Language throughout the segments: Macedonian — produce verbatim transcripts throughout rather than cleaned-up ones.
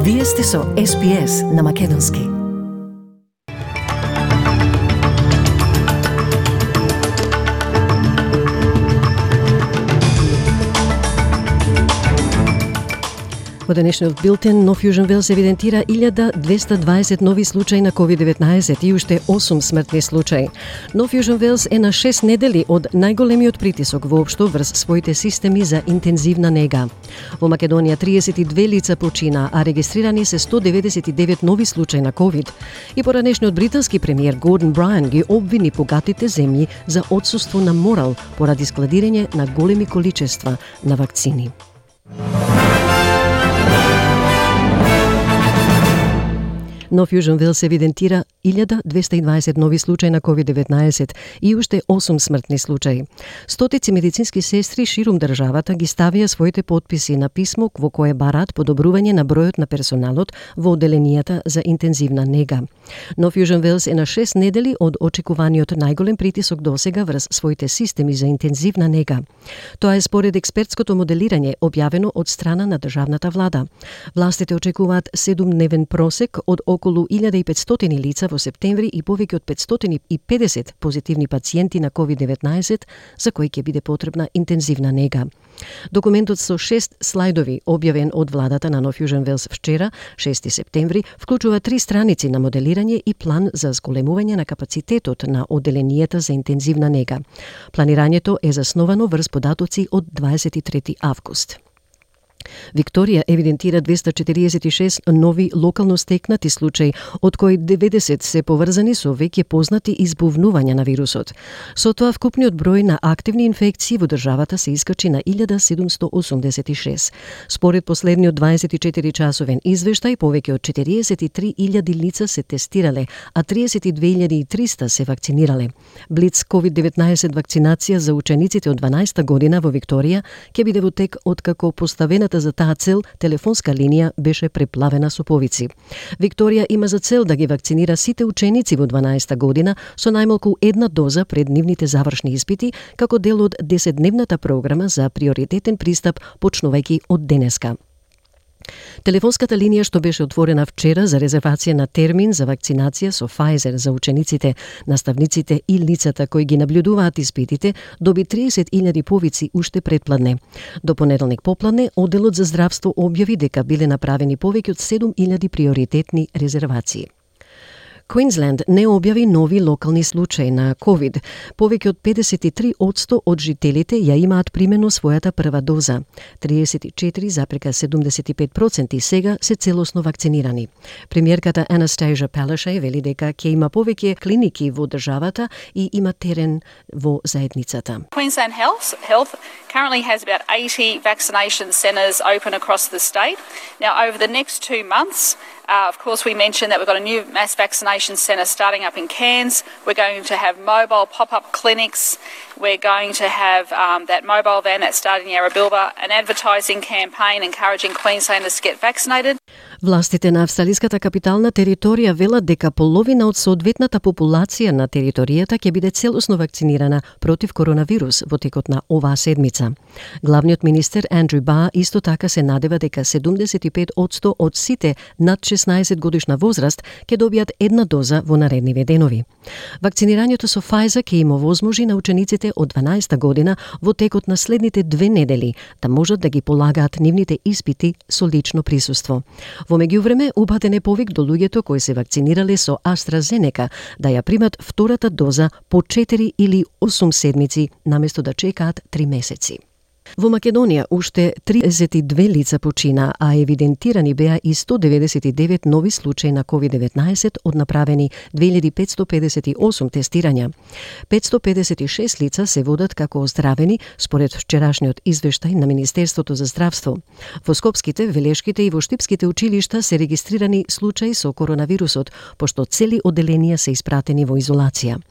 Вие сте со Ес Би Ес на Македонски. Во денешниот билтен, Нов Јужен Велс евидентира илјада двесте дваесет нови случаи на ковид деветнаесет и уште осум смртни случаи. Нов Јужен Велс е на шест недели од најголемиот притисок воопшто врз своите системи за интензивна нега. Во Македонија триесет и две лица почина, а регистрирани се сто деветдесет и девет нови случаи на ковид. И поранешниот британски премиер Гордон Брајан ги обвини богатите земји за отсуство на морал поради складирање на големи количества на вакцини. Нов Јужен Велс евидентира илјада двесте и дваесет нови случаи на ковид деветнаесет и уште осум смртни случаи. Стотици медицински сестри ширум државата ги ставија своите потписи на писмо во кое бараат подобрување на бројот на персоналот во одделенијата за интензивна нега. Нов Јужен Велс е на шест недели од очекуваниот најголем притисок досега врз своите системи за интензивна нега. Тоа е според експертското моделирање објавено од страна на државната влада. Властите очекуваат седумдневен просек од околу илјада и петстотини лица во септември и повеќе од петстотини и педесет позитивни пациенти на ковид деветнаесет за кои ќе биде потребна интензивна нега. Документот со шест слайдови, објавен од владата на Нов Јужен Велс вчера, шести септември, вклучува три страници на моделирање и план за зголемување на капацитетот на одделенијата за интензивна нега. Планирањето е засновано врз податоци од дваесет и трети август. Викторија евидентира двесте четириесет и шест нови локално стекнати случаи, од кои деветдесет се поврзани со веќе познати избувнувања на вирусот. Со тоа вкупниот број на активни инфекции во државата се искачи на илјада седумсто осумдесет и шест. Според последниот дваесет и четири часовен извештај, повеќе од четириесет и три илјади лица се тестирале, а триесет и две илјади и триста се вакцинирале. Блиц ковид деветнаесет вакцинација за учениците од дванаесета година во Викторија ќе биде во тек откако поставената за таа цел телефонска линија беше преплавена со повици. Викторија има за цел да ги вакцинира сите ученици во дванаесета година со најмалку една доза пред нивните завршни испити, како дел од десетдневната програма за приоритетен пристап почнувајќи од денеска. Телефонската линија што беше отворена вчера за резервација на термин за вакцинација со Pfizer за учениците, наставниците и лицата кои ги наблюдуваат испитите, доби триесет илјади повици уште предпладне. До понеделник попладне, одделот за здравство објави дека биле направени повеќе од седум илјади приоритетни резервации. Квинсленд не објави нови локални случаи на ковид. Повеќе од педесет и три одсто од жителите ја имаат примено својата прва доза. триесет и четири запрека седумдесет и пет проценти сега се целосно вакцинирани. Премиерката Анастасија Палашај вели дека ќе има повеќе клиники во државата и има терен во заедницата. Queensland Health, Health currently has about eighty vaccination centres open across the state. Now, over the next two months, uh, of course, we mentioned that we've got a new mass vaccination centre starting up in Cairns. We're going to have mobile pop-up clinics. We're going to have um, that mobile van that's starting in Yarrabilba, an advertising campaign encouraging Queenslanders to get vaccinated. Властите на австралиската капитална територија велат дека половина од соодветната популација на територијата ќе биде целосно вакцинирана против коронавирус во текот на оваа седмица. Главниот министер Андрю Бар исто така се надева дека седумдесет и пет одсто од сите над шеснаесет годишна возраст ќе добијат една доза во наредниве денови. Вакцинирањето со Pfizer ќе им овозможи на учениците од дванаесета година во текот на следните две недели да можат да ги полагаат нивните испити со лично присуство. Во меѓувреме, упатен е повик до луѓето кои се вакцинирале со AstraZeneca да ја примат втората доза по четири или осум седмици, наместо да чекаат три месеци. Во Македонија уште триесет и две лица почина, а евидентирани беа и сто деветдесет и девет нови случаи на ковид деветнаесет од направени две илјади петсто педесет и осум тестирања. петсто педесет и шест лица се водат како оздравени според вчерашниот извештај на Министерството за здравство. Во Скопските, Велешките и во Штипските училишта се регистрирани случаи со коронавирусот, пошто цели одделенија се испратени во изолација.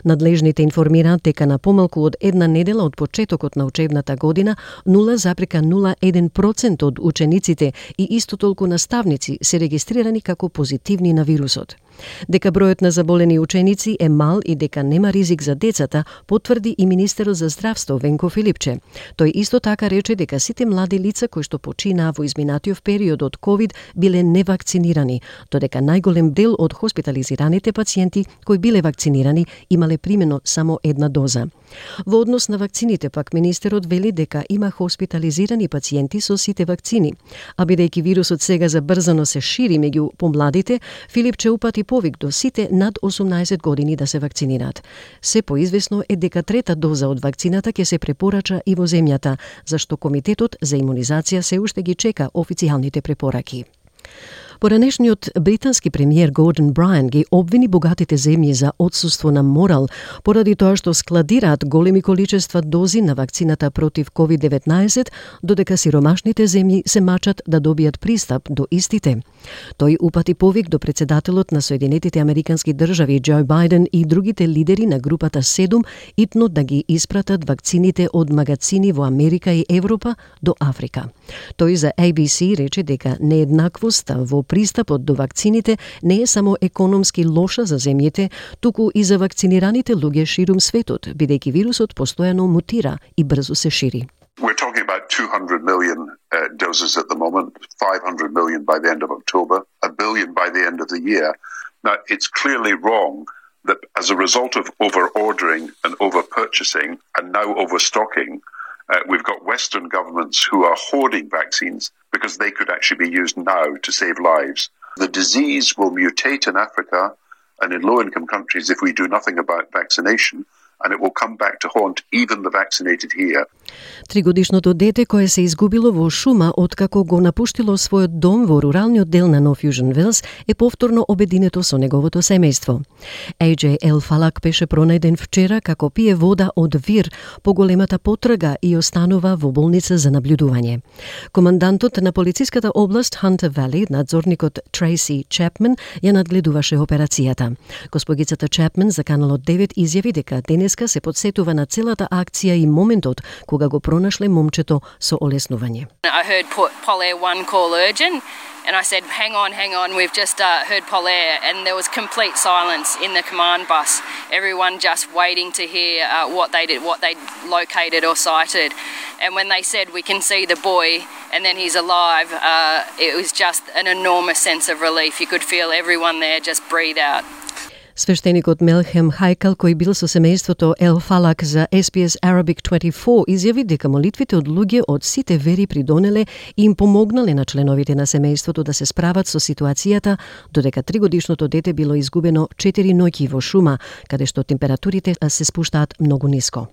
Надлежните информираат дека на помалку од една недела од почетокот на учебната година нула запрека нула еден процент од учениците и исто толку наставници се регистрирани како позитивни на вирусот. Дека бројот на заболени ученици е мал и дека нема ризик за децата, потврди и министерот за здравство Венко Филипче. Тој исто така рече дека сите млади лица кои што починаа во изминатиот период од ковид биле невакцинирани, додека најголем дел од хоспитализираните пациенти кои биле вакцинирани имале примено само една доза. Во однос на вакцините пак министерот вели дека има хоспитализирани пациенти со сите вакцини, а бидејќи вирусот сега забрзано се шири меѓу помладите, Филипче упати повик до сите над осумнаесет години да се вакцинираат. Се поизвестно е дека трета доза од вакцината ќе се препорача и во земјата, зашто Комитетот за имунизација се уште ги чека официјалните препораки. Поранешниот британски премиер Гордон Брyan ги обвини богатите земји за отсуство на морал поради тоа што складираат големи количества дози на вакцината против ковид деветнаесет, додека сиромашните земји се мачат да добијат пристап до истите. Тој упати повик до председателот на Соединетите Американски држави Џо Бајден и другите лидери на групата седум итно да ги испратат вакцините од магацини во Америка и Европа до Африка. Тој за A B C рече дека нееднаквоста во пристапот до вакцините не е само економски лоша за земјите, туку и за вакцинираните луѓе ширум светот, бидејќи вирусот постојано мутира и брзо се шири. We're talking about two hundred million uh, doses at the moment, five hundred million by the end of October, a billion by the end of the year. Now, it's clearly wrong that as a result of over-ordering and over-purchasing and now overstocking, uh, we've got Western governments who are hoarding vaccines because they could actually be used now to save lives. The disease will mutate in Africa and in low-income countries if we do nothing about vaccination, and it will come back to haunt even the vaccinated here. Тригодишното дете кое се изгубило во шума откако го напуштило својот дом во руралниот дел на Нов Јужен Велс е повторно обединето со неговото семејство. Ей Џеј Ел Фалак беше пронајден вчера како пие вода од вир по големата потрага и останува во болница за наблюдување. Командантот на полициската област Хантер Вали, надзорникот Трейси Чепмен, ја надгледуваше операцијата. Госпогицата Чепмен за Каналот девет изјави дека денеска се подсетува на целата акција и моментот кога го пронашле момчето со олеснување. I heard Polair one call urgent and I said hang on hang on we've just uh, heard Polair and there was complete silence in the command bus, everyone just waiting to hear uh, what they did what they located or sighted, and when they said we can see the boy and then he's alive, uh, it was just an enormous sense of relief. You could feel everyone there just breathe out. Свештеникот Мелхем Хајкал, кој бил со семејството Ел Фалак за Ес Би Ес Arabic дваесет и четири, изјави дека молитвите од луѓе од сите вери придонеле и им помогнале на членовите на семејството да се справат со ситуацијата, додека тригодишното дете било изгубено четири ноќи во шума, каде што температурите се спуштаат многу ниско.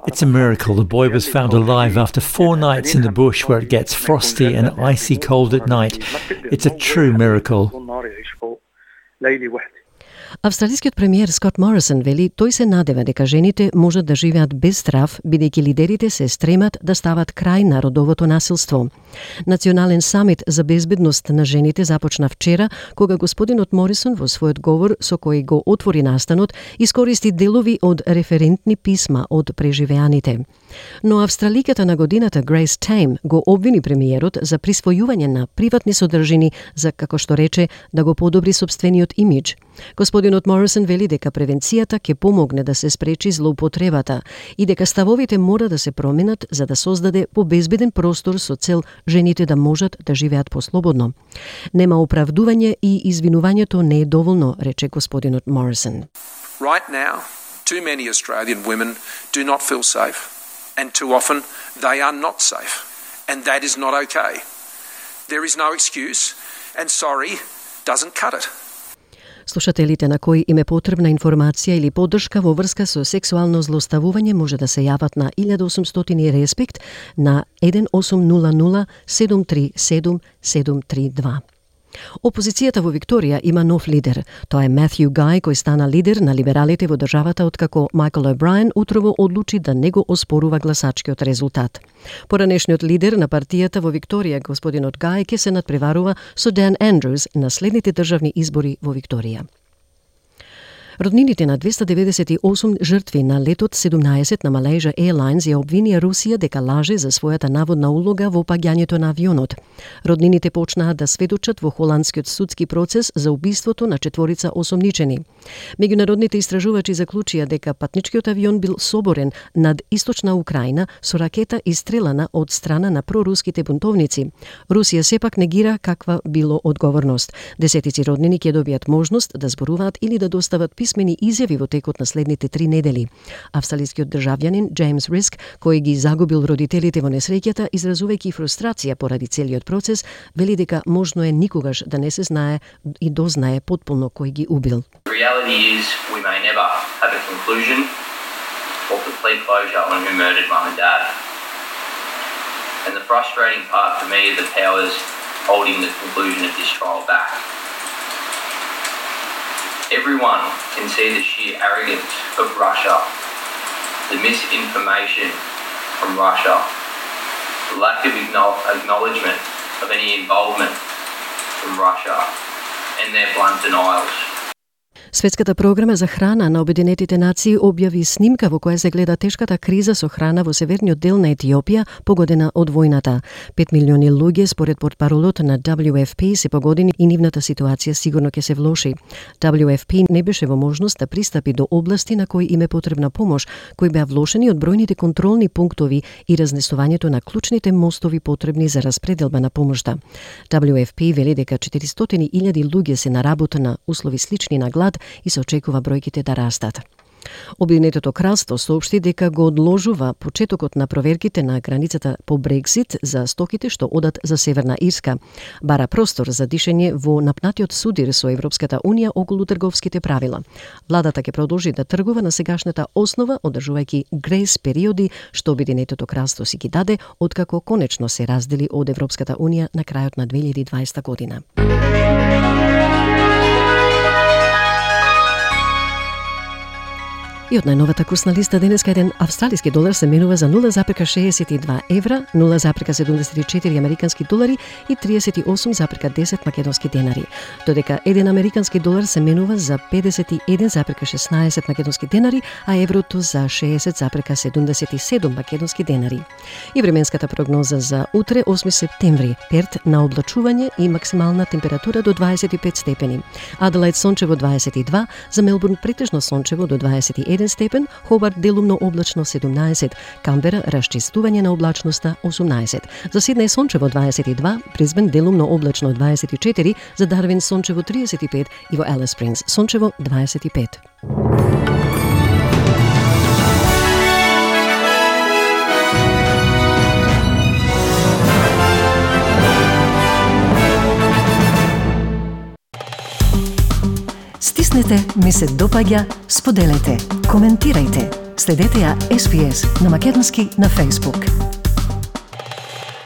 It's a miracle the boy was found alive after four nights in the bush where it gets frosty and icy cold at night. It's a true miracle. Австралискиот премиер Скот Морисон вели тој се надева дека жените можат да живеат без страв, бидејќи лидерите се стремат да стават крај на родовото насилство. Национален самит за безбедност на жените започна вчера, кога господинот Морисон во својот говор со кој го отвори настанот искористи делови од референтни писма од преживеаните. Но австраликата на годината Грейс Тейм го обвини премиерот за присвојување на приватни содржини за, како што рече, да го подобри сопствениот имидж. Господинот Морисон вели дека превенцијата ќе помогне да се спречи злоупотребата и дека ставовите мора да се променат за да создаде побезбеден простор со цел жените да можат да живеат послободно. Нема оправдување и извинувањето не е доволно, рече господинот Морисон. Right now, too many Australian women do not feel safe, and too often they are not safe, and that is not okay. There is no excuse, and sorry doesn't cut it. Слушателите на кои им е потребна информација или поддршка во врска со сексуално злоставување може да се јават на еден осумстотини респект на еден осум нула нула седум три седум седум три два. Опозицијата во Викторија има нов лидер. Тоа е Матју Гај, кој стана лидер на либералите во државата откако Майкл О'Брајен утрово одлучи да не го оспорува гласачкиот резултат. Поранешниот лидер на партијата во Викторија, господинот Гај, ќе се надпреварува со Дан Андрус на следните државни избори во Викторија. Роднините на двеста деветдесет и осум жртви на летот седумнаесет на Malaysia Airlines ја обвинија Русија дека лаже за својата наводна улога во паѓањето на авионот. Роднините почнаа да сведочат во холандскиот судски процес за убиството на четворица осомничени. Меѓународните истражувачи заклучија дека патничкиот авион бил соборен над источна Украина со ракета истрелана од страна на проруските бунтовници. Русија сепак негира каква било одговорност. Десетици роднини ќе добијат можност да зборуваат или да достават писмени изјави во текот на следните три недели. Австралискиот државјанин Джеймс Риск, кој ги загубил родителите во несреќата, изразувајќи фрустрација поради целиот процес, вели дека можно е никогаш да не се знае и дознае потполно кој ги убил. The reality is we may never have a conclusion or complete closure on who murdered mum and dad. And the frustrating part for me are the powers holding the conclusion of this trial back. Everyone can see the sheer arrogance of Russia, the misinformation from Russia, the lack of acknowledgement of any involvement from Russia, and their blunt denials. Светската програма за храна на Обединетите нации објави снимка во која се гледа тешката криза со храна во северниот дел на Етиопија, погодена од војната. Пет милиони луѓе, според портпаролот на дабљу еф пи, се погодени и нивната ситуација сигурно ќе се влоши. дабљу еф пи не беше во можност да пристапи до области на кои им е потребна помош, кои беа влошени од бројните контролни пунктови и разнесувањето на клучните мостови потребни за распределба на помошта. дабљу еф пи вели дека четиристотини илјади луѓе се на работа на услови слични на глад и се очекува бројките да растат. Обединетото кралство соопшти дека го одложува почетокот на проверките на границата по Брексит за стоките што одат за Северна Ирска. Бара простор за дишење во напнатиот судир со Европската Унија околу трговските правила. Владата ќе продолжи да тргува на сегашната основа, одржувајќи грейс периоди што Обединетото кралство си ги даде откако конечно се раздели од Европската Унија на крајот на две илјади и дваесета година. И од најновата курсна листа денеска еден австралиски долар се менува за нула запирка шеесет и два евра, нула запирка седумдесет и четири американски долари и триесет и осум запирка десет македонски денари. Додека еден американски долар се менува за педесет и еден запирка шеснаесет македонски денари, а еврото за шеесет запирка седумдесет и седум македонски денари. И временската прогноза за утре, осми септември, Перт на облачување и максимална температура до дваесет и пет степени. Аделаид сончево дваесет и два, за Мелбурн претежно сончево до дваесет и еден степен, Хобарт делумно облачно седумнаесет, Камбера расчистување на облачноста осумнаесет. За Сиднеј сончево дваесет и два, Брисбен делумно облачно дваесет и четири, за Дарвин сончево триесет и пет и во Алис Спрингс сончево дваесет и пет. Стиснете, ми се допаѓа, споделете, коментирајте. Следете ја Ес Би Ес на македонски на Facebook.